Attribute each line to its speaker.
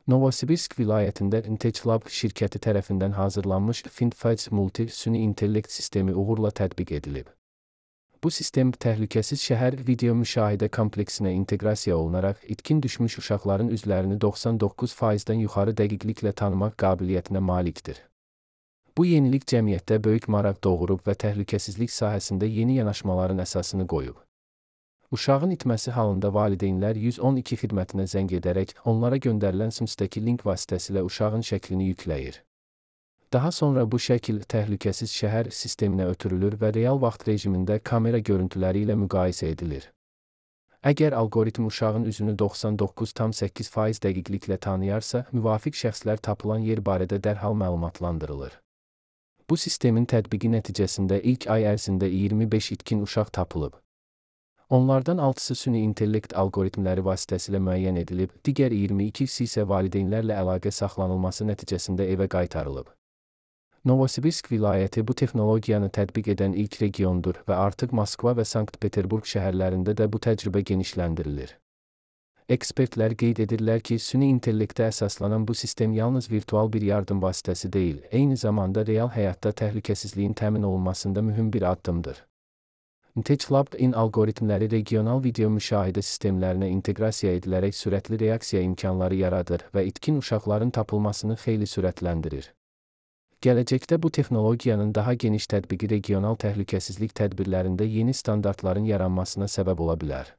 Speaker 1: Novosibirsk vilayətində InTechLab şirkəti tərəfindən hazırlanmış FinFET Multi süni intellekt sistemi uğurla tətbiq edilib. Bu sistem təhlükəsiz şəhər video müşahidə kompleksinə inteqrasiya olunaraq itkin düşmüş uşaqların üzlərini 99%-dən yuxarı dəqiqliklə tanımaq qabiliyyətinə malikdir. Bu yenilik cəmiyyətdə böyük maraq doğurub və təhlükəsizlik sahəsində yeni yanaşmaların əsasını qoyub. Uşağın itməsi halında valideynlər 112 xidmətinə zəng edərək onlara göndərilən SMS-dəki link vasitəsilə uşağın şəklini yükləyir. Daha sonra bu şəkil təhlükəsiz şəhər sisteminə ötürülür və real vaxt rejimində kamera görüntüləri ilə müqayisə edilir. Əgər alqoritm uşağın üzünü 99,8% dəqiqliklə tanıyarsa, müvafiq şəxslər tapılan yer barədə dərhal məlumatlandırılır. Bu sistemin tətbiqi nəticəsində ilk ay ərzində 25 itkin uşaq tapılıb. Onlardan 6-sı süni intellekt alqoritmləri vasitəsilə müəyyən edilib, digər 22-si isə valideynlərlə əlaqə saxlanılması nəticəsində evə qaytarılıb. Novosibirsk vilayəti bu texnologiyanı tətbiq edən ilk regiondur və artıq Moskva və Sankt-Peterburq şəhərlərində də bu təcrübə genişləndirilir. Ekspertlər qeyd edirlər ki, süni intellektə əsaslanan bu sistem yalnız virtual bir yardım vasitəsi deyil, eyni zamanda real həyatda təhlükəsizliyin təmin olunmasında mühüm bir addımdır. InTechLab-in alqoritmləri regional video müşahidə sistemlərinə inteqrasiya edilərək sürətli reaksiya imkanları yaradır və itkin uşaqların tapılmasını xeyli sürətləndirir. Gələcəkdə bu texnologiyanın daha geniş tətbiqi regional təhlükəsizlik tədbirlərində yeni standartların yaranmasına səbəb ola bilər.